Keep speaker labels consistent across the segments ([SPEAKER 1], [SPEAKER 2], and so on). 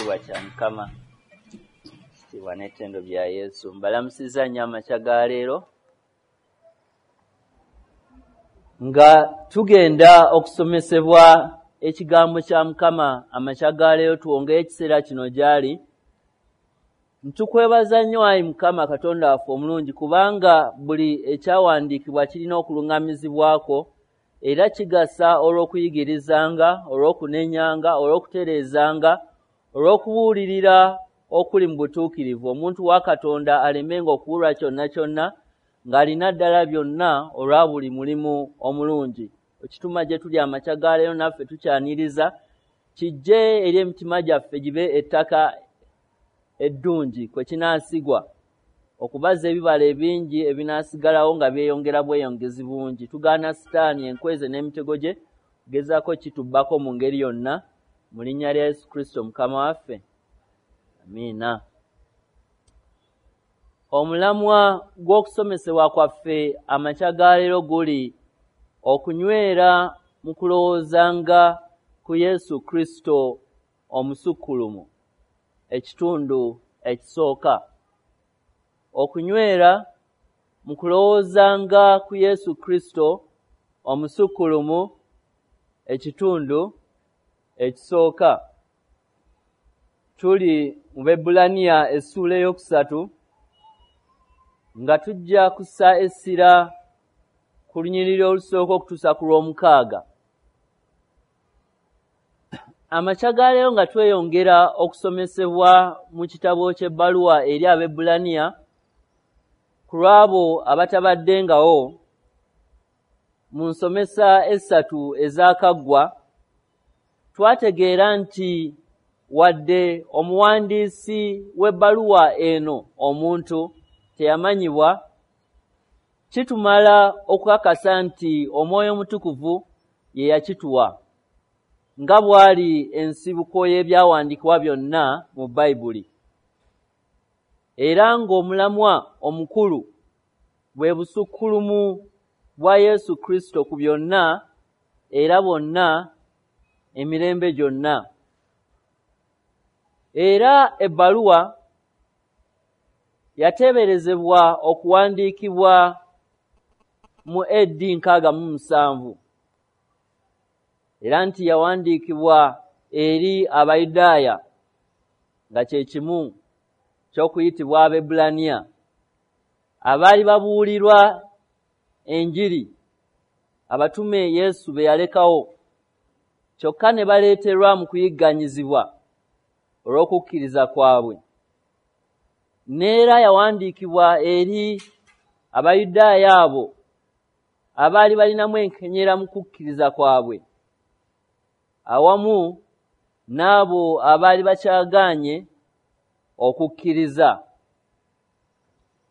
[SPEAKER 1] Ekitiibwa kya Mukama, ekitiibwa n'ettendo bya Yesu. Mbalamusizza nnyo amakya ga leero nga tugenda okusomesebwa ekigambo kya Mukama. Amakya ga leero tuwongeyo ekiseera kino gy'ali. Ntukwebaza nnyo ayi Mukama Katonda waffe omulungi, kubanga buli ekyawandiikibwa kirina okuluŋŋamizibwako era kigasa olw'okuyigirizanga, olw'okunenyanga, olw'okutereezanga, olw'okubuulirira okuli mu butuukirivu, omuntu wa Katonda alemenga okuwulwa kyonna kyonna ng'alina ddala byonna olwa buli mulimu omulungi. Ekituma gye tuli amakya ga leero naffe tukyaniriza kijje eri emitima gyaffe gibe ettaka eddungi kwe kinaasigwa okubaza ebibala ebingi ebinaasigalawo nga byeyongera bweyongezi bungi. Tugaana Sitaani enkweze n'emitego gye gezaako kitubbako mu ngeri yonna, mu linnya lya Yesu Kristo Mukama waffe, amiina. Omulamwa gw'okusomesebwa kwaffe amakya ga leero guli okunywera mu kulowoozanga ku Yesu Kristo omusukkulumu, ekitundu ekisooka. Okunywera mu kulowoozanga ku Yesu Kristo omusukkulumu, ekitundu ekisooka. Tuli mu Baebbulaniya essuula 3 nga tujja kussa essira ku lunyiriri olusooka okutuusa ku lw'omukaaga. Amakya ga leero nga tweyongera okusomesebwa mu kitabo ky'ebbaluwa eri Abaebbulaniya, ku lw'abo abatabaddengawo mu nsomesa 3 ezaakaggwa, twategeera nti wadde omuwandiisi w'ebbaluwa eno omuntu teyamanyibwa, kitumala okukakasa nti Omwoyo Omutukuvu ye yakituwa, nga bw'ali ensibuko y'ebyawandiikibwa byonna mu Bayibuli, era ng'omulamwa omukulu bwe busukkulumu bwa Yesu Kristo ku byonna era bonna emirembe gyonna. Era ebbaluwa yateeberezebwa okuwandiikibwa mu AD 67, era nti yawandiikibwa eri Abayudaaya nga kye kimu ky'okuyitibwa Abaebbulaniya abaali babuulirwa enjiri abatume Yesu be yalekawo, kyokka ne baleeterwa mu kuyigganyizibwa olw'okukkiriza kwabwe. N'era yawandiikibwa eri Abayudaaya abo abaali balinamu enkenyera mu kukkiriza kwabwe, awamu n'abo abaali bakyagaanye okukkiriza,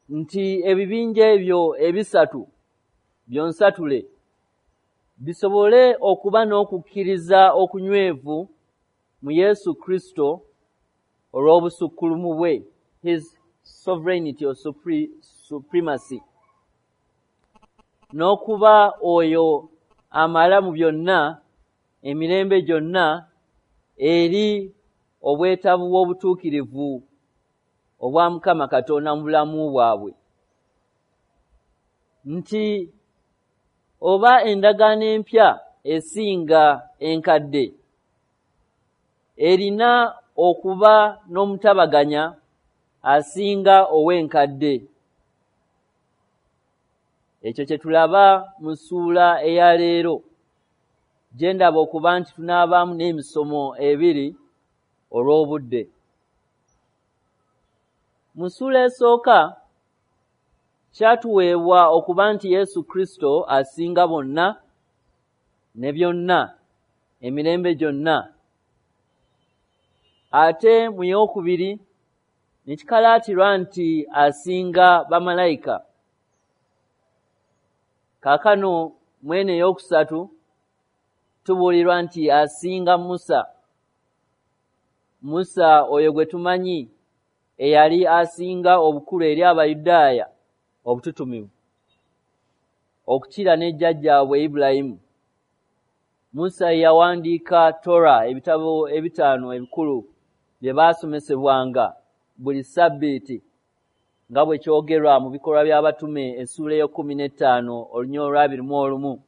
[SPEAKER 1] nti ebibinja ebyo ebisatu byonsatule bisobole okuba n'okukkiriza okunywevu mu Yesu Kristo olw'obusukkulumu bwe, his sovereignty or supremacy, n'okuba oyo amala mu byonna emirembe gyonna eri obwetaavu bw'obutuukirivu obwa Mukama Katonda mu bulamu bwabwe, nti oba endagaano empya esinga enkadde erina okuba n'omutabaganya asinga ow'enkadde. Ekyo kye tulaba mu ssuula eya leero, gye ndaba okuba nti tunaabaamu n'emisomo 2 olw'obudde. Mu ssuula esooka kyatuweebwa okuba nti Yesu Kristo asinga bonna ne byonna emirembe gyonna. Ate mu yookubiri ne kikalaatirwa nti asinga bamalayika. Kaakano mwene eyookusatu tubuulirwa nti asinga Musa. Musa oyo gwe tumanyi eyali asinga obukulu eri Abayudaaya obututumivu okukira ne jjajjaabwe Ibulayimu. Musa yawandiika Torah, ebitabo 5 ebikulu bye baasomesebwanga buli ssabbiiti, nga bwe kyogerwa mu Bikolwa by'Abatume essuula ey'e15 olunyiriri olwa 21.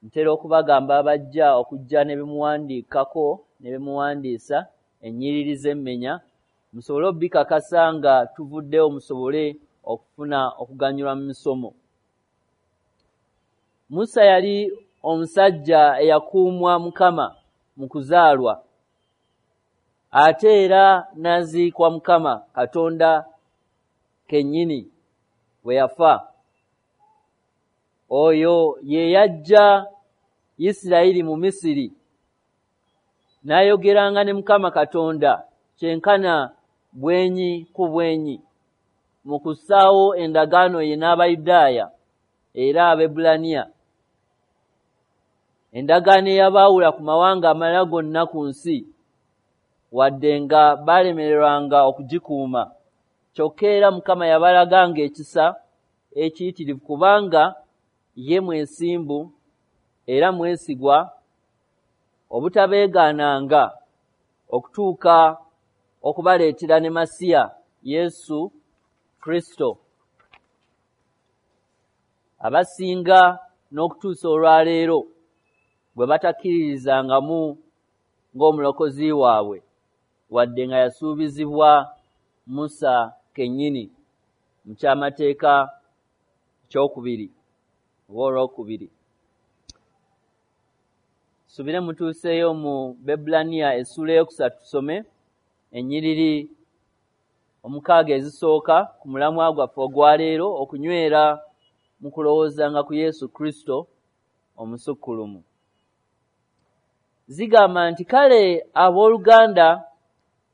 [SPEAKER 1] Ntera okubagamba abajja okujja ne bimuwandiikako ne bimuwandiisa ennyiriri z'emmenya, musobole okubikakasa nga tuvuddewo, musobole okufuna okuganyulwa mu misomo. Musa yali omusajja eyakuumwa Mukama mu kuzaalwa, ate era n'aziikwa Mukama Katonda kennyini bwe yafa. Oyo ye yaggya Isirayiri mu Misiri, n'ayogeranga ne Mukama Katonda kyenkana bwenyi ku bwenyi mu kussaawo endagaano ye n'Abayudaaya era Abaebbulaniya, endagaano eyabaawula ku mawanga amalala gonna ku nsi, wadde nga baalemererwanga okugikuuma. Kyokka era Mukama yabalaganga ekisa ekiyitirivu, kubanga ye mwesimbu era mwesigwa obutabeegaananga okutuuka okubaleetera ne Masiya Yesu Kristo. Abasinga n'okutuusa olwaleero bwe batakkiririzangamu ng'omulokozi waabwe, wadde nga yasuubizibwa Musa kennyini mu kyamateeka ekyokubiri oba olwokubiri. Subire mutuuseeyo mu Baebbulaniya essuula 3, tusome ennyiriri 6 ezisooka ku mulamwa gwaffe ogwaleero, okunywera mu kulowoozanga ku Yesu Kristo omusukkulumu. Zigamba nti, kale abooluganda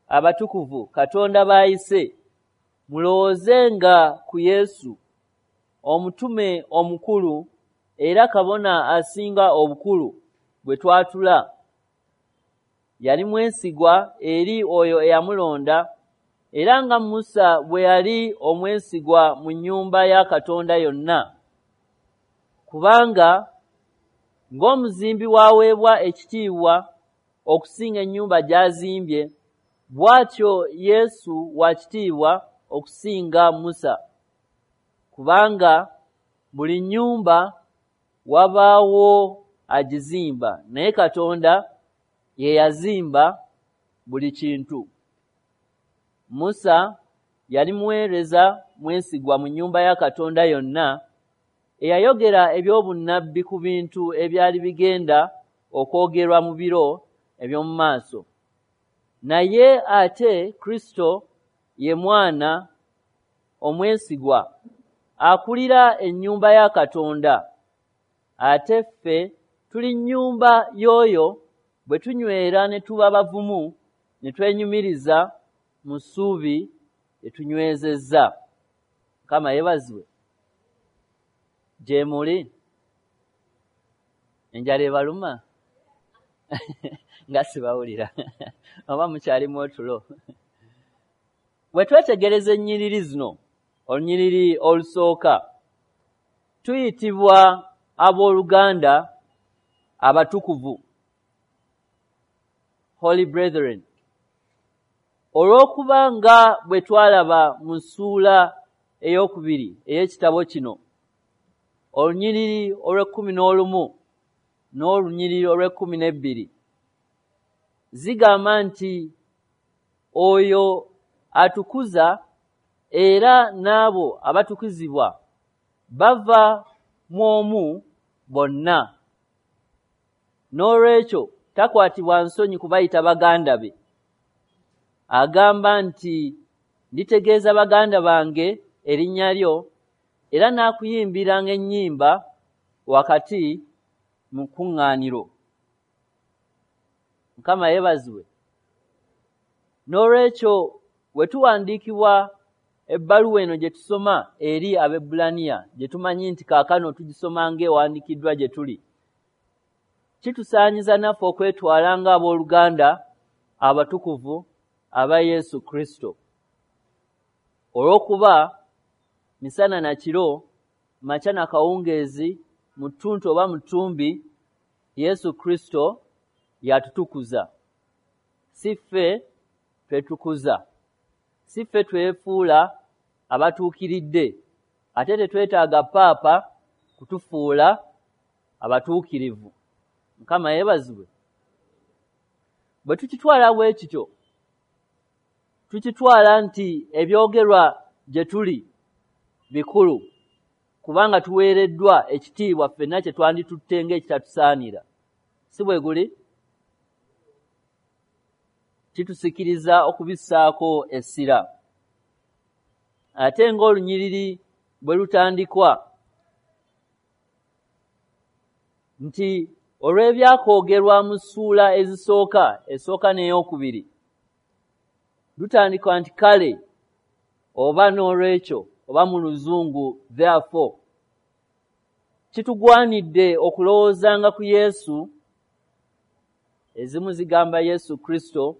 [SPEAKER 1] abatukuvu Katonda b'ayise, mulowoozenga ku Yesu, omutume omukulu era kabona asinga obukulu bwe twatula. Yali mwesigwa eri oyo eyamulonda, era nga Musa bwe yali omwesigwa mu nnyumba ya Katonda yonna. Kubanga ng'omuzimbi bw'aweebwa ekitiibwa okusinga ennyumba gy'azimbye, bw'atyo Yesu wa kitiibwa okusinga Musa. Kubanga buli nnyumba wabaawo agizimba, naye Katonda ye yazimba buli kintu. Musa yali muweereza mwesigwa mu nnyumba ya Katonda yonna, eyayogera ebyobunnabbi ku bintu ebyali bigenda okwogerwa mu biro eby'omu maaso. Naye ate Kristo ye mwana omwesigwa akulira ennyumba ya Katonda, ate ffe tuli nnyumba y'oyo bwe tunywera ne tuba bavumu ne twenyumiriza mu ssuubi lye tunywezezza. Mukama yeebazibwe. Gye muli enjala ebaluma nga sibawulira oba mukyalimu otulo. Bwe twetegereza ennyiriri zino, olunyiriri olusooka, tuyitibwa abooluganda abatukuvu, Holy Brethren, olw'okuba nga bwe twalaba mu ssuula 2 ey'ekitabo kino, olunyiriri olw'11 n'olunyiriri olw'12, zigamba nti oyo atukuza era n'abo abatukuzibwa bava mu omu bonna. N'olwekyo takwatibwa nsonyi kubayita baganda be. Agamba nti, nditegeeza baganda bange erinnya lyo, era naakuyimbiranga ennyimba wakati mu kuŋŋaaniro. Mukama yeebazibwe. N'olwekyo bwe tuwandiikibwa ebbaluwa eno gye tusoma eri Abaebbulaniya, gye tumanyi nti kaakano tugisoma ng'ewandiikiddwa gye tuli, kitusaanyiza naffe okwetwala ng'abooluganda abatukuvu aba Yesu Kristo, olw'okuba misana na kiro, makya na kawungeezi, mu ttuntu oba mu ttumbi, Yesu Kristo yatutukuza. Si ffe twetukuza, si ffe twefuula abatuukiridde, ate tetwetaaga paapa kutufuula abatuukirivu. Mukama yeebazibwe. Bwe tukitwala bwe kityo, tukitwala nti ebyogerwa gye tuli bikulu, kubanga tuweereddwa ekitiibwa ffenna kye twanditutte ng'ekitatusaanira. Si bwe guli? Kitusikiriza okubissaako essira. Ate ng'olunyiriri bwe lutandikwa nti olw'ebyakoogerwa mu ssuula ezisooka, esooka n'eyokubiri, lutandikwa nti kale oba n'olwekyo, oba mu Luzungu therefore. Kitugwanidde okulowoozanga ku Yesu, ezimu zigamba Yesu Kristo,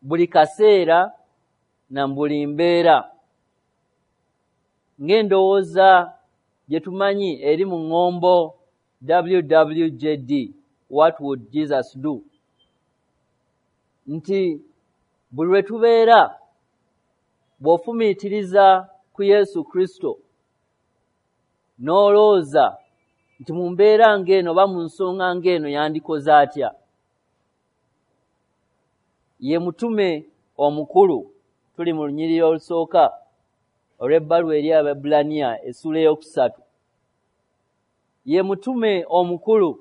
[SPEAKER 1] buli kaseera na buli mbeera, ng'endowooza gye tumanyi eri mu ŋŋombo WWJD, what would Jesus do? Nti buli lwe tubeera, bw'ofumiitiriza ku Yesu Kristo n'olowooza nti mu mbeera ng'eno oba mu nsonga ng'eno yandikoze atya. Ye mutume omukulu. Tuli mu lunyiriri olusooka olw'ebbaluwa eri Abaebbulaniya essuula 3. Ye mutume omukulu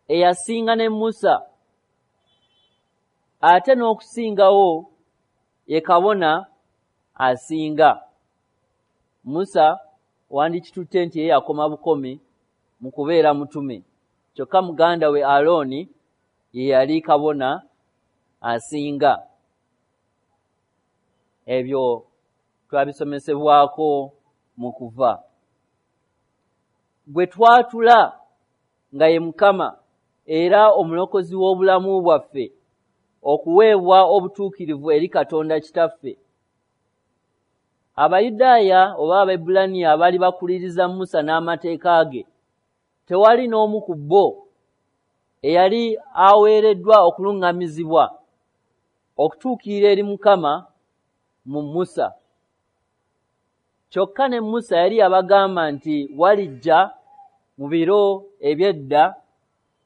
[SPEAKER 1] eyasinga ne Musa, ate n'okusingawo ye kabona asinga. Musa wandikitutte nti ye yakoma bukomi mu kubeera mutume, kyokka muganda we Alooni ye yali kabona asinga. Ebyo twabisomesebwako mu kuva. Gwe twatula nga ye Mukama era omulokozi w'obulamu bwaffe, okuweebwa obutuukirivu eri Katonda Kitaffe. Abayudaaya oba Abaebbulaniya abaali bakuliriza Musa n'amateeka ge, tewali n'omu ku bo eyali aweereddwa okuluŋŋamizibwa okutuukirira eri Mukama mu Musa. Kyokka ne Musa yali yabagamba nti walijja mu biro eby'edda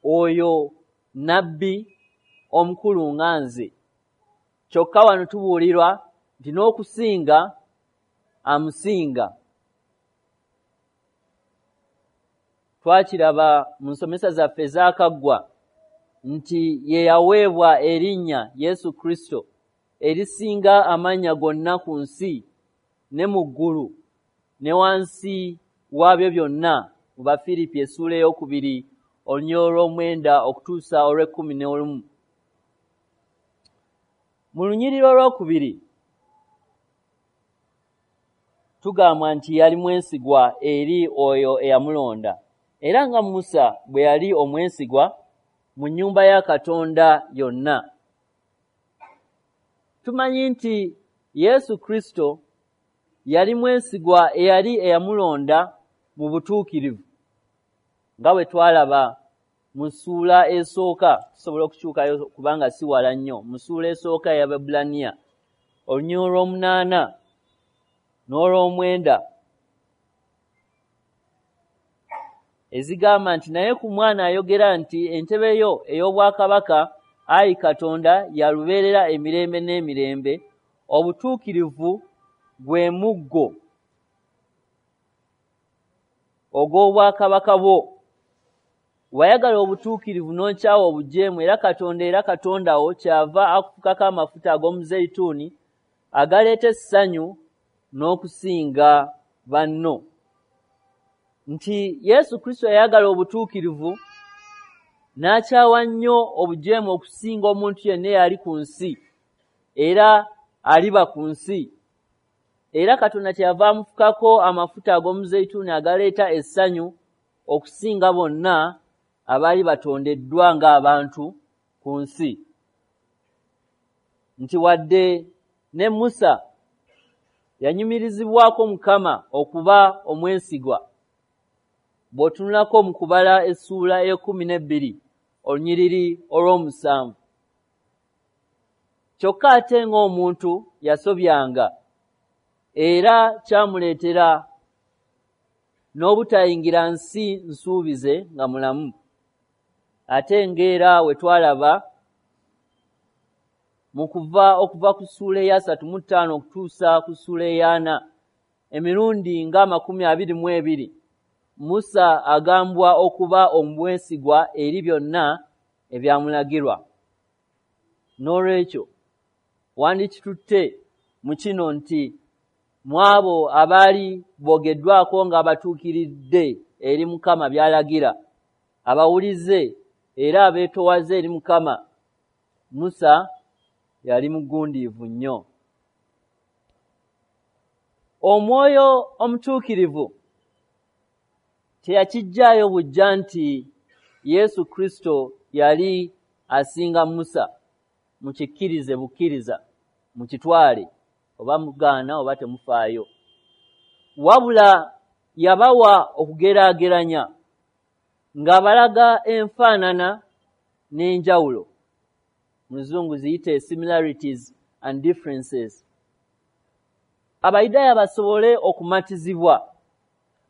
[SPEAKER 1] oyo nabbi omukulu nga nze. Kyokka wano tubuulirwa nti n'okusinga amusinga. Twakiraba mu nsomesa zaffe ezaakaggwa nti ye yaweebwa erinnya Yesu Kristo erisinga amannya gonna ku nsi ne mu ggulu ne wansi waabyo byonna, mu Bafiripi essuula 2 olunyiriri olw'omwenda okutuusa olw'e11. Mu lunyiriri olwokubiri tugambwa nti yali mwesigwa eri oyo eyamulonda, era nga Musa bwe yali omwesigwa mu nnyumba ya Katonda yonna. Tumanyi nti Yesu Kristo yali mwesigwa eyali eyamulonda mu butuukirivu, nga bwe twalaba mu ssuula esooka. Tusobola okukyukayo kubanga si wala nnyo. Mu ssuula esooka ey'Abaebbulaniya olunyiriri olw'omunaana n'olw'omwenda, ezigamba nti naye ku mwana ayogera nti entebe yo ey'obwakabaka, ayi Katonda, yalubeerera emirembe n'emirembe, obutuukirivu gwe muggo ogw'obwakabaka bwo. Wayagala obutuukirivu n'okyawa obujeemu, era Katonda era Katonda wo kyava akufukako amafuta ag'omuzeyituuni agaleeta essanyu n'okusinga banno. Nti Yesu Kristo yayagala obutuukirivu n'akyawa nnyo obujeemu okusinga omuntu yenna eyali ku nsi era aliba ku nsi. Era Katonda kyeyava amufukako amafuta ag'omuzeyituuni agaleeta essanyu okusinga bonna abaali batondeddwa ng'abantu ku nsi. Nti wadde ne Musa yanyumirizibwako Mukama okuba omwesigwa, bw'otunulako mu kubala essuula 12 olunyiriri olw'omusanvu, Kyokka ate ng'omuntu yasobyanga, era kyamuleetera n'obutayingira nsi nsuubize nga mulamu. Ate ng'era we twalaba mu kuva okuva ku ssuula eya 35 okutuusa ku ssuula eya 40, emirundi nga 22 Musa agambwa okuba omwesigwa eri byonna ebyamulagirwa. N'olwekyo wandikitutte mu kino nti mu abo abaali boogeddwako ng'abatuukiridde eri Mukama by'alagira, abawulize era abeetoowaze eri Mukama, Musa yali mugundiivu nnyo. Omwoyo Omutuukirivu teyakiggyaayo buggya nti Yesu Kristo yali asinga Musa. Mukikkirize bukkiriza, mukitwale, oba mugaana oba temufaayo. Wabula yabawa okugeraageranya ng'abalaga enfaanana n'enjawulo. Mu Luzungu ziyite similarities and differences. Abayudaaya basobole okumatizibwa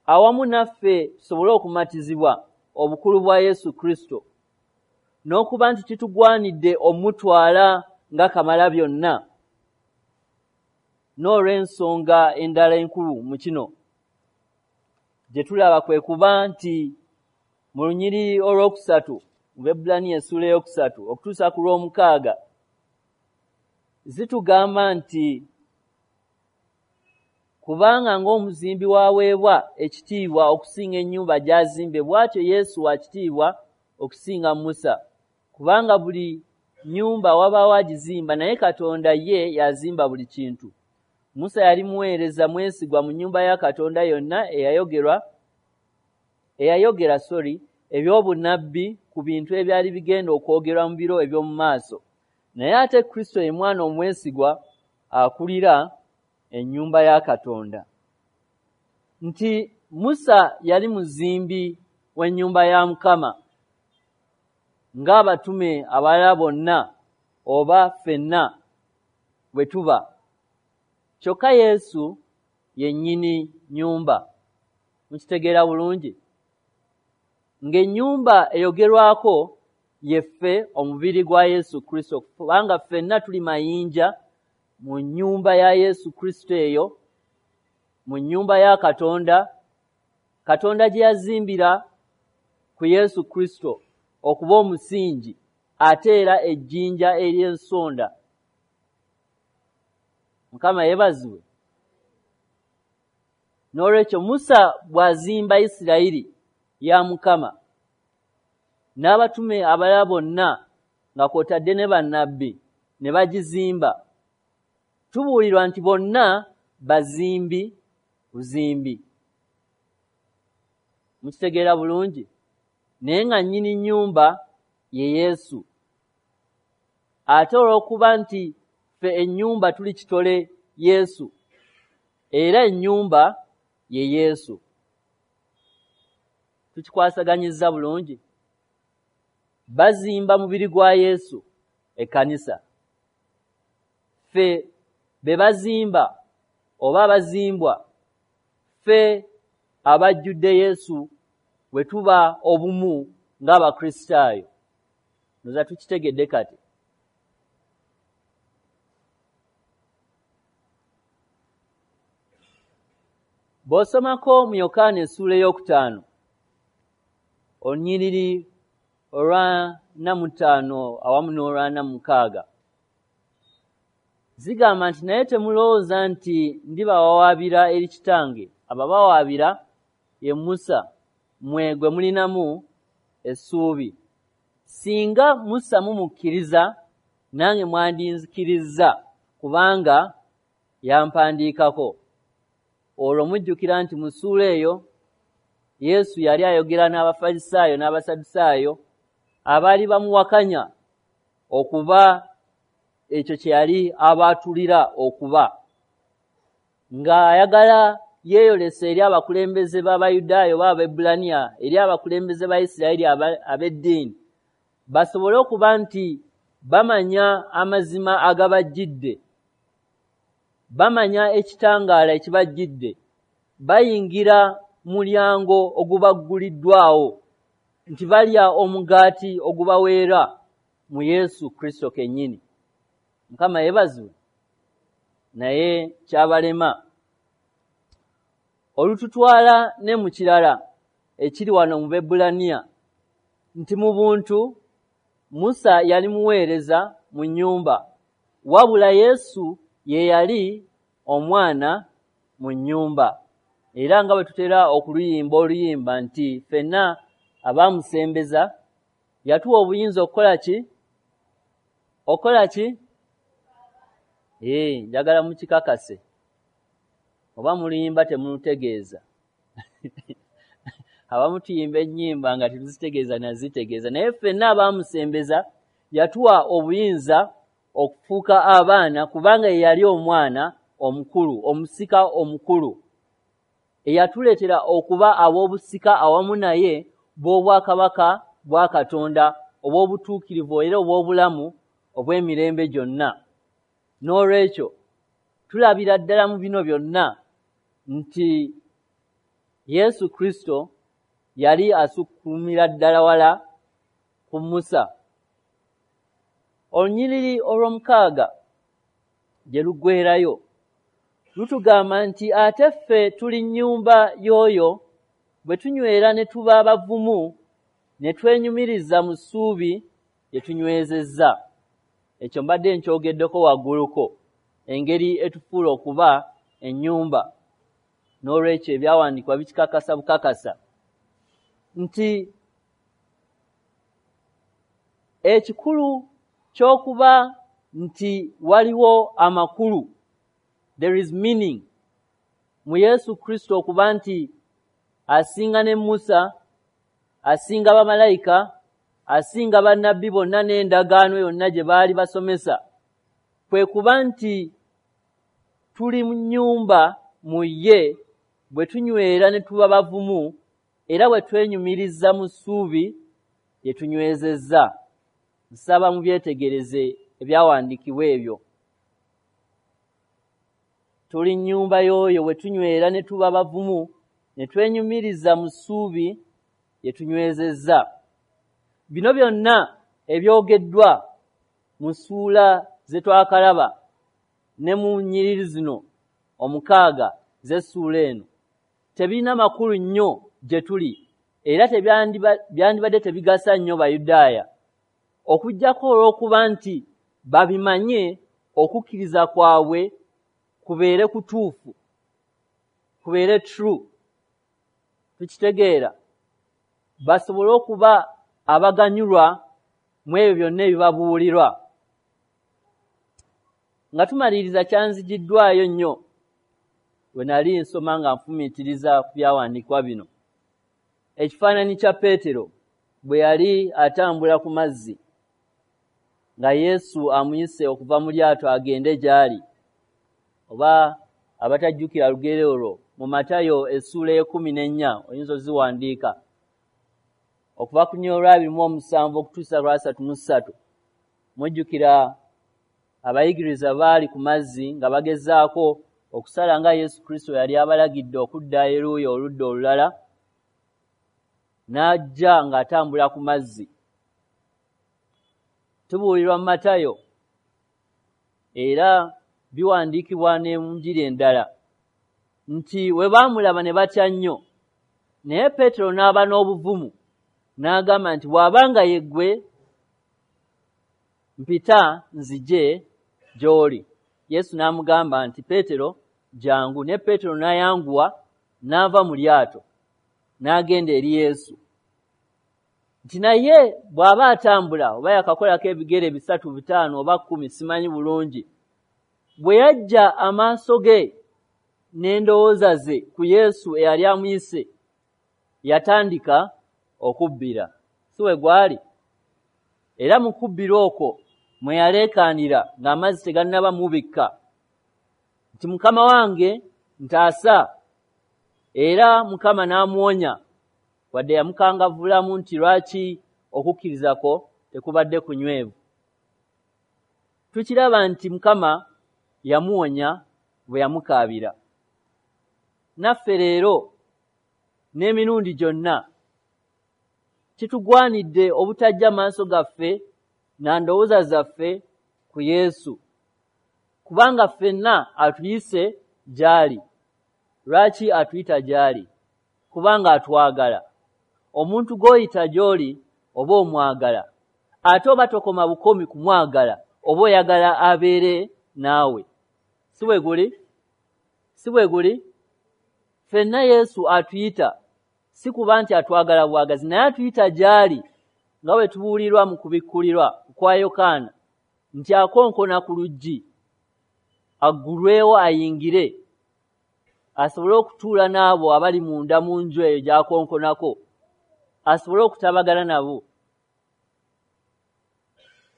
[SPEAKER 1] awamu naffe tusobole okumatizibwa obukulu bwa Yesu Kristo, n'okuba nti kitugwanidde omutwala nga kamala byonna. N'olw'ensonga endala enkulu mu kino gye tulaba kwe kuba nti mu lunyiriri olwokusatu mu Baebbulaniya essuula 3 okutuusa ku lw'omukaaga zitugamba nti kubanga ng'omuzimbi w'aweebwa ekitiibwa okusinga ennyumba gy'azimbye, bw'atyo Yesu wa kitiibwa okusinga Musa. Kubanga buli nnyumba wabaawo agizimba, naye Katonda ye y'azimba buli kintu. Musa yali muweereza mwesigwa mu nnyumba ya Katonda yonna eyayogera eby'obunnabbi ku bintu ebyali bigenda okwogerwa mu biro eby'omu maaso. Naye ate Kristo ye mwana omwesigwa akulira ennyumba ya Katonda. Nti Musa yali muzimbi w'ennyumba ya Mukama ng'abatume abalala bonna oba ffenna bwe tuba. Kyokka Yesu ye nnyini nnyumba. Mukitegeera bulungi? Ng'ennyumba eyogerwako ye ffe omubiri gwa Yesu Kristo, kubanga ffenna tuli mayinja mu nnyumba ya Yesu Kristo eyo, mu nnyumba ya Katonda, Katonda gye yazimbira ku Yesu Kristo okuba omusingi ate era ejjinja ery'ensonda. Mukama yeebazibwe. N'olwekyo Musa bw'azimba Isirayiri ya Mukama n'abatume abalala bonna nga kw'otadde ne bannabbi ne bagizimba, tubuulirwa nti bonna bazimbi buzimbi. Mukitegeera bulungi? Naye nga nnyini nnyumba ye Yesu. Ate olw'okuba nti ffe ennyumba tuli kitole Yesu, era ennyumba ye Yesu. Tukikwasaganyizza bulungi? Bazimba mubiri gwa Yesu, ekkanisa. Ffe be bazimba oba abazimbwa, ffe abajjudde Yesu bwe tuba obumu ng'Abakristaayo. Ndowooza tukitegedde kati. Bw'osomako mu Yokaana essuula 5 olunyiriri olwa 45 awamu n'olwa 46 zigamba nti naye temulowooza nti ndibawawaabira eri Kitange, ababawaabira ye Musa, mmwe gwe mulinamu essuubi. Singa Musa mumukkiriza, nange mwandinzikirizza, kubanga yampandiikako. Olwo mujjukira nti mu ssuula eyo Yesu yali ayogera n'Abafalisaayo n'Abasadusaayo abaali bamuwakanya okuba ekyo kye yali abaatulira okuba, ng'ayagala yeeyolesa eri abakulembeze b'Abayudaaya oba Abaebbulaniya, eri abakulembeze ba Isirayiri ab'eddiini, basobole okuba nti Bamanya amazima agabajjidde, bamanya ekitangaala ekibajjidde, bayingira mulyango ogubagguliddwawo nti balya omugaati ogubaweera mu Yesu Kristo kennyini. Mukama yeebazibwe. Naye kyabalema. Olututwala ne mu kirala ekiri wano mu Bebbulaniya nti mu buntu Musa yali muweereza mu nnyumba, wabula Yesu ye yali omwana mu nnyumba. Era nga bwe tutera okuluyimba oluyimba nti ffenna abaamusembeza yatuwa obuyinza okukola ki? Okukola ki? Njagala mukikakase. Oba muluyimba temulutegeeza. Abamu tuyimba ennyimba nga tetuzitegeeza nazitegeeza, naye ffenna abaamusembeza yatuwa obuyinza okufuuka abaana, kubanga ye yali omwana omukulu, omusika omukulu, eyatuleetera okuba ab'obusika awamu naye bw'obwakabaka bwa Katonda obw'obutuukirivu era obw'obulamu obw'emirembe gyonna. N'olwekyo tulabira ddala mu bino byonna nti Yesu Kristo yali asukkulumira ddala wala ku Musa. Olunyiriri olw'omukaaga gye luggweerayo lutugamba nti ate ffe tuli nnyumba y'oyo bwe tunywera ne tuba bavumu ne twenyumiriza mu ssuubi lye tunywezezza. Ekyo mbadde nkyogeddeko wagguluko, engeri etufuula okuba ennyumba. N'olwekyo ebyawandiikibwa bikikakasa bukakasa nti ekikulu ky'okuba nti waliwo amakulu, there is meaning mu Yesu Kristo okuba nti asinga ne Musa, asinga bamalayika, asinga bannabbi bonna n'endagaano yonna gye baali basomesa, kwe kuba nti tuli mu nnyumba mu ye bwe tunywera ne tuba bavumu era bwe twenyumiriza mu ssuubi lye tunywezezza. Nsaba mubyetegereze ebyawandiikibwa ebyo. Tuli nnyumba y'oyo bwe tunywera ne tuba bavumu ne twenyumiriza mu ssuubi lye tunywezezza. Bino byonna ebyogeddwa mu ssuula ze twakalaba ne mu nnyiriri zino omukaaga z'essuula eno tebirina makulu nnyo gye tuli, era byandibadde tebigasa nnyo Bayudaaya, okuggyako olw'okuba nti babimanye okukkiriza kwabwe kubeere kutuufu, kubeere true. Tukitegeera, basobole okuba abaganyulwa mu ebyo byonna ebibabuulirwa. Nga tumaliriza, kyanzigiddwayo nnyo bwe nali nsoma nga nfumiitiriza ku byawandiikibwa bino, ekifaananyi kya Peetero bwe yali atambula ku mazzi nga Yesu amuyise okuva mu lyato agende gy'ali. Oba abatajjukira lugero olwo, mu Matayo essuula 14 oyinza oziwandiika okuva ku 27 okutuusa 33. Mujjukira abayigiriza baali ku mazzi nga bagezaako okusala nga Yesu Kristo yali abalagidde okudda eruuyi oludda olulala, n'ajja ng'atambula ku mazzi. Tubuulirwa mu Matayo era biwandiikibwa ne mu njiri endala nti we baamulaba ne batya nnyo, naye Peetero n'aba n'obuvumu n'agamba nti bw'abanga ye ggwe mpita nzije gy'oli. Yesu n'amugamba nti Peetero jangu, ne Peetero n'ayanguwa n'ava mu lyato n'agenda eri Yesu. Nti naye bw'aba atambula oba yakakolako ebigere 3, 5 oba 10 simanyi bulungi, bwe yajja amaaso ge n'endowooza ze ku Yesu eyali amuyise, yatandika okubbira. Si we gwali? Era mu kubbira okwo mwe yaleekaanira ng'amazzi tegannaba mubikka nti Mukama wange ntaasa. Era Mukama n'amuwonya, wadde yamukangavvulamu nti lwaki okukkiriza kwo tekubadde kunywevu. Tukiraba nti Mukama yamuwonya bwe yamukaabira. Naffe leero n'emirundi gyonna kitugwanidde obutajja maaso gaffe na ndowooza zaffe ku Yesu, kubanga ffenna atuyise gy'ali. Lwaki atuyita gy'ali? Kubanga atwagala. Omuntu gw'oyita gy'oli oba omwagala, ate oba tokoma bukomi kumwagala, oba oyagala abeere naawe. Si bwe guli? Si bwe guli? Ffenna Yesu atuyita, si kuba nti atwagala bwagazi, naye atuyita gy'ali, nga bwe tubuulirwa mu kubikkulirwa kwa Yokaana nti akonkona ku luggi aggulwewo ayingire, asobole okutuula n'abo abali munda mu nju eyo gy'akonkonako, asobole okutabagana nabo.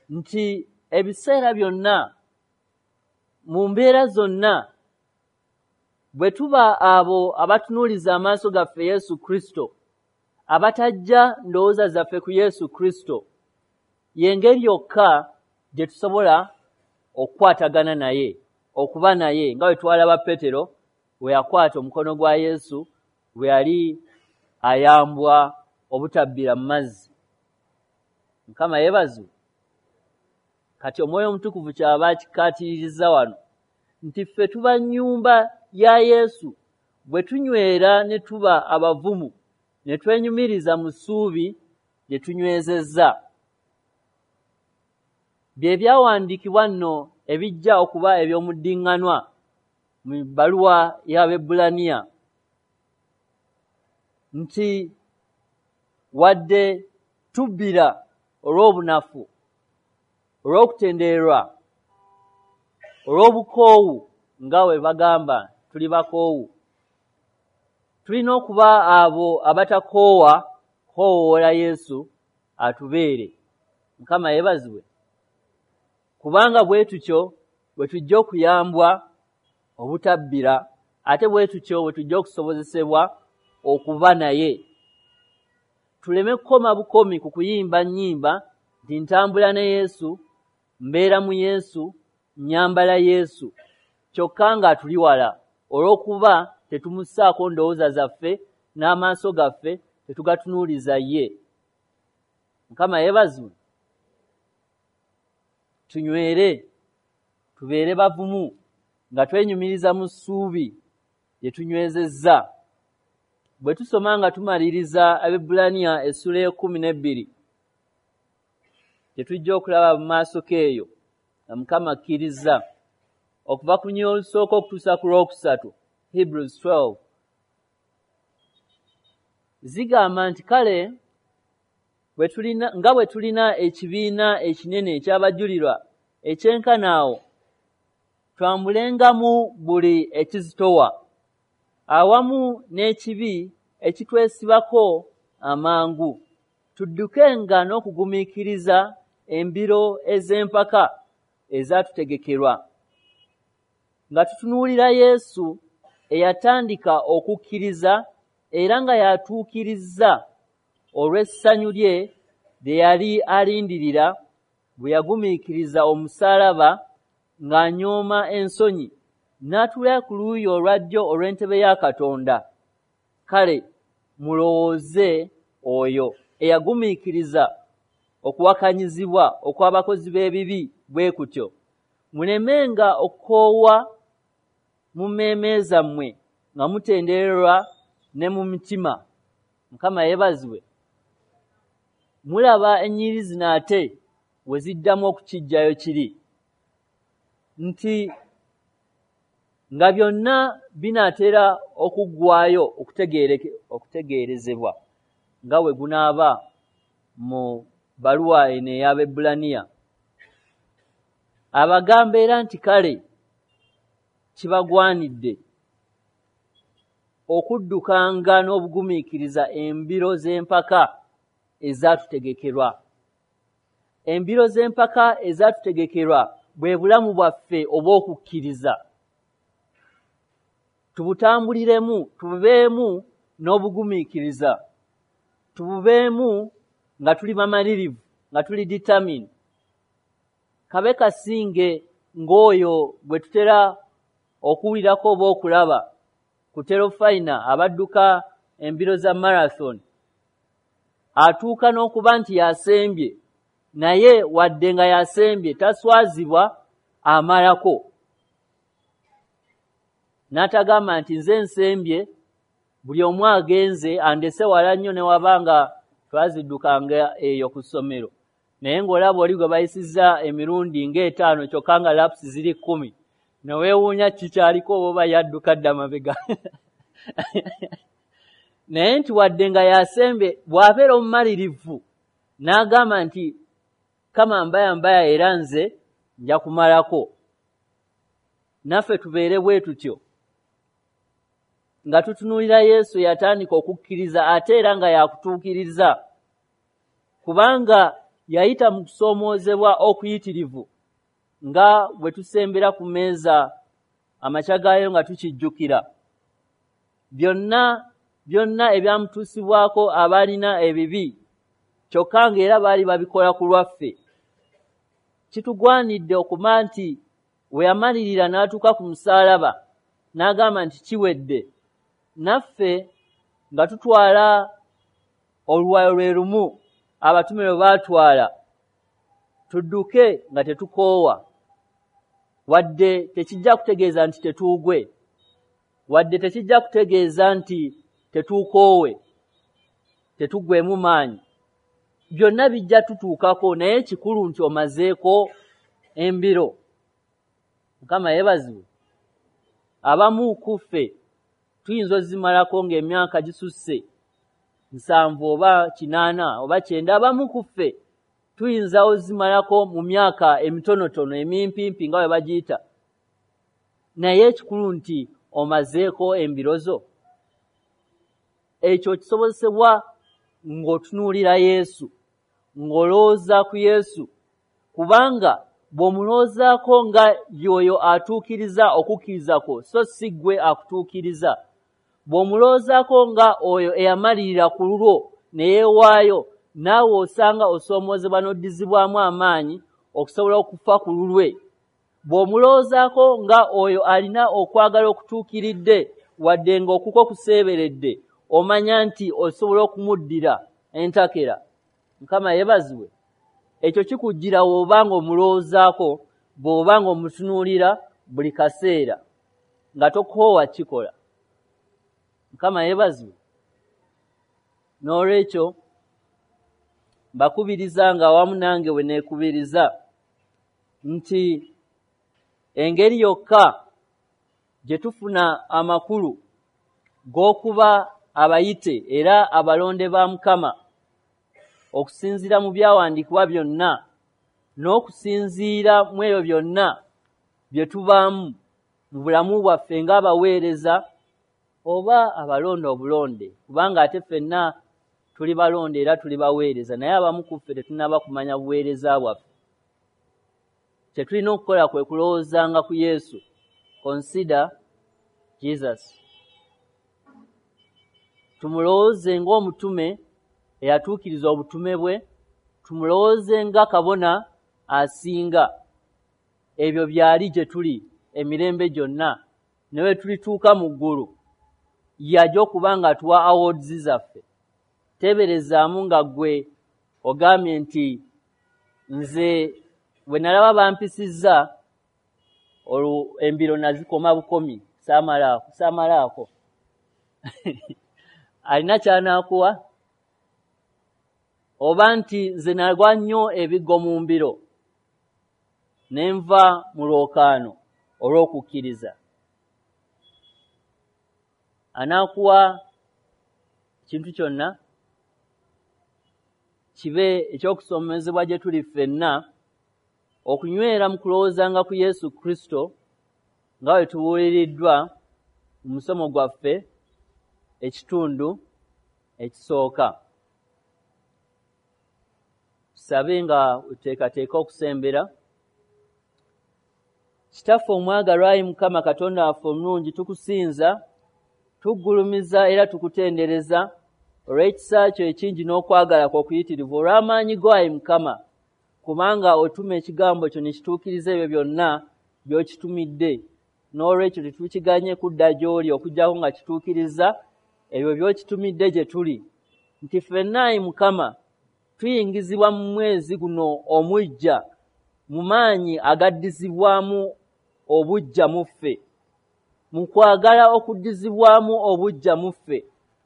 [SPEAKER 1] Nti ebiseera byonna, mu mbeera zonna, bwe tuba abo abatunuuliza amaaso gaffe Yesu Kristo, abatajja ndowooza zaffe ku Yesu Kristo, y'engeri yokka gye tusobola okukwatagana naye, okuba naye, nga bwe twalaba Petero bwe yakwata omukono gwa Yesu bwe yali ayambwa obutabbira mu mazzi. Mukama yeebazibwe. Kati Omwoyo Omutukuvu ky'aba akikkaatiriza wano nti ffe tuba nnyumba ya Yesu bwe tunywera ne tuba abavumu ne twenyumiriza mu ssuubi lye tunywezezza. Bye byawandiikibwa nno ebijja okuba eby'omuddiŋŋanwa mu bbaluwa y'Abaebbulaniya nti wadde tubbira olw'obunafu, olw'okutendererwa, olw'obukoowu, nga bwe bagamba tuli bakoowu, tulina okuba abo abatakoowa koowoola Yesu atubeere. Mukama yeebazibwe. Kubanga bwe tutyo bwe tujja okuyambwa obutabbira, ate bwe tutyo bwe tujja okusobozesebwa okuba naye. Tuleme kukoma bukomi ku kuyimba nnyimba nti ntambula ne Yesu, mbeera mu Yesu, nnyambala Yesu, kyokka nga tuli wala olw'okuba tetumussaako ndowooza zaffe n'amaaso gaffe tetugatunuuliza ye. Mukama yeebazibwe. Tunywere, tubeere bavumu nga twenyumiriza mu ssuubi lye tunywezezza. Bwe tusoma nga tumaliriza Abaebbulaniya essula 12, tetujja okulaba mu maaso k'eyo nga Mukama akkiriza, okuva ku lunyiriri olusooka okutuusa ku lwokusatu, Hebrews 12, zigamba nti kale nga bwe tulina ekibiina ekinene eky'abajulirwa ekyenkana awo, twambulengamu buli ekizitowa awamu n'ekibi ekitwesibako amangu, tuddukenga n'okugumiikiriza embiro ez'empaka ezatutegekerwa, nga tutunuulira Yesu eyatandika okukkiriza era nga yatuukiriza olw'essanyu lye lye yali alindirira bwe yagumiikiriza omusaalaba ng'anyooma ensonyi, n'atuula ku luuyi olwa ddyo olw'entebe ya Katonda. Kale mulowooze oyo eyagumiikiriza okuwakanyizibwa okw'abakozi b'ebibi bwe kutyo, mulemenga okukoowa mu mmeeme zammwe nga mutendererwa ne mu mitima. Mukama yeebazibwe. Mulaba ennyiriri zino ate we ziddamu okukiggyayo kiri nti nga byonna binaatera okuggwaayo okutegeerezebwa nga bwe gunaaba mu bbaluwa eno ey'Abaebbulaniya. Abagamba era nti kale kibagwanidde okuddukanga n'obugumiikiriza embiro z'empaka ezatutegekerwa. Embiro z'empaka ezatutegekerwa bwe bulamu bwaffe obw'okukkiriza. Tubutambuliremu, tububeemu n'obugumiikiriza, tububeemu nga tuli bamalirivu, nga tuli determined. Kabe kasinge ng'oyo gwe tutera okuwulirako oba okulaba ku terofayina abadduka embiro za marathon, atuuka n'okuba nti yasembye, naye wadde nga yasembye taswazibwa, amalako. N'atagamba nti nze nsembye, buli omu agenze andese wala nnyo, ne wabanga twaziddukanga eyo ku ssomero, naye ng'olaba oli gwe bayisizza emirundi ng'etaano kyokka nga laps ziri 10, ne weewuunya kikyaliko oba yadduka dda mabega. Naye nti wadde nga yasembye, bw'abeera omumalirivu n'agamba nti kama mbaya mbaya era nze nja kumalako. Naffe tubeere bwe tutyo nga tutunuulira Yesu yatandika okukkiriza ate era nga yakutuukiriza, kubanga yayita mu kusoomoozebwa okuyitirivu nga bwe tusembera ku mmeeza amakya gaayo nga tukijjukira byonna byonna ebyamutuusibwako abaalina ebibi, kyokka ng'era baali babikola ku lwaffe. Kitugwanidde okuma nti we yamalirira n'atuuka ku musaalaba n'agamba nti kiwedde, naffe nga tutwala oluwayo lwe lumu abatume lwe baatwala, tudduke nga tetukoowa. Wadde tekijja kutegeeza nti tetuugwe, wadde tekijja kutegeeza nti tetuukoowe, tetuggwemu maanyi, byonna bijja tutuukako, naye kikulu nti omazeeko embiro. Mukama yeebazibwe. Abamu ku ffe tuyinza ozimalako ng'emyaka gisusse 70 oba 80 oba 90. Abamu ku ffe tuyinza ozimalako mu myaka emitonotono emimpimpi nga bwe bagiyita, naye ekikulu nti omazeeko embiro zo. Ekyo kisobozesebwa ng'otunuulira Yesu, ng'olowooza ku Yesu, kubanga bw'omulowoozaako nga y'oyo atuukiriza okukkiriza kwo, so si ggwe akutuukiriza. Bw'omulowoozaako nga oyo eyamalirira ku lulwo ne yeewaayo, naawe osanga osoomoozebwa n'oddizibwamu amaanyi okusobola okufa ku lulwe. Bw'omulowoozaako nga oyo alina okwagala okutuukiridde, wadde ng'okukwo kuseeberedde, omanya nti osobola okumuddira entakera. Mukama yeebazibwe. Ekyo kikujjira bw'oba ng'omulowoozaako, bw'oba ng'omutunuulira buli kaseera, nga tokoowa kikola. Mukama yeebazibwe. N'olwekyo mbakubiriza nga awamu nange bwe neekubiriza nti engeri yokka gye tufuna amakulu g'okuba abayite era abalonde ba Mukama okusinziira mu byawandiikibwa byonna n'okusinziira mu ebyo byonna bye tubaamu mu bulamu bwaffe ng'abaweereza oba abalonde obulonde, kubanga ate ffenna tuli balonde era tuli baweereza, naye abamu ku ffe tetunnaba kumanya buweereza bwaffe. Kye tulina okukola kwe kulowoozanga ku Yesu. Consider Jesus. Tumulowooze ng'omutume eyatuukiriza obutume bwe, tumulowooze nga kabona asinga. Ebyo byali gye tuli emirembe gyonna, ne bwe tulituuka mu ggulu yajja okuba nga atuwa awards zaffe. Teeberezaamu nga ggwe ogambye nti nze bwe nalaba bampisizza olwo embiro nazikoma bukomi, saamalaako. Alina ky'anaakuwa? Oba nti nze nagwa nnyo ebiggo mu mbiro ne nva mu lwokaano olw'okukkiriza. Anaakuwa ekintu kyonna? Kibe ekyokusomezebwa gye tuli ffenna okunywera mu kulowoozanga ku Yesu Kristo nga bwe tubuuliriddwa mu musomo gwaffe ekitundu ekisooka. Tusabe nga wetuteekateeka okusembera. Kitaffe omwagalwa, ayi Mukama Katonda waffe omulungi, tukusinza, tuggulumiza era tukutendereza olw'ekisa kyo ekingi n'okwagala kwo okuyitirivu, olw'amaanyi go ayi Mukama, Kubanga otuma ekigambo kyo ne kituukiriza ebyo byonna by'okitumidde. N'olwekyo tetukiganye kudda gy'oli okuggyako nga kituukiriza ebyo by'okitumidde gye tuli. Nti ffenna ayi Mukama tuyingizibwa mu mwezi guno omuggya mu maanyi agaddizibwamu obuggya mu ffe, mu kwagala okuddizibwamu obuggya mu ffe,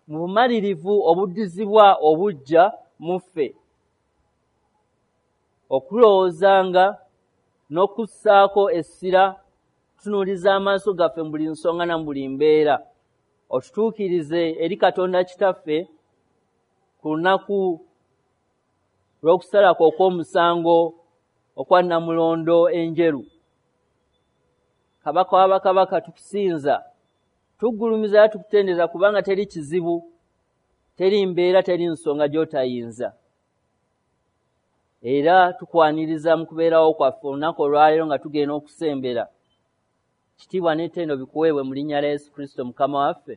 [SPEAKER 1] mu bumalirivu obuddizibwa obuggya mu ffe, okulowoozanga n'okussaako essira, tutunuuliza amaaso gaffe mu buli nsonga na mu buli mbeera, otutuukirize eri Katonda Kitaffe ku lunaku lw'okusalako okw'omusango okwa Nnamulondo enjeru. Kabaka wa bakabaka, tukusinza, tuggulumiza era tukutendereza, kubanga teri kizibu, teri mbeera, teri nsonga gy'otayinza. Era tukwaniriza mu kubeerawo kwaffe olunaku olwaleero nga tugenda okusembera. Kitiibwa n'ettendo bikuweebwe mu linnya lya Yesu Kristo Mukama waffe.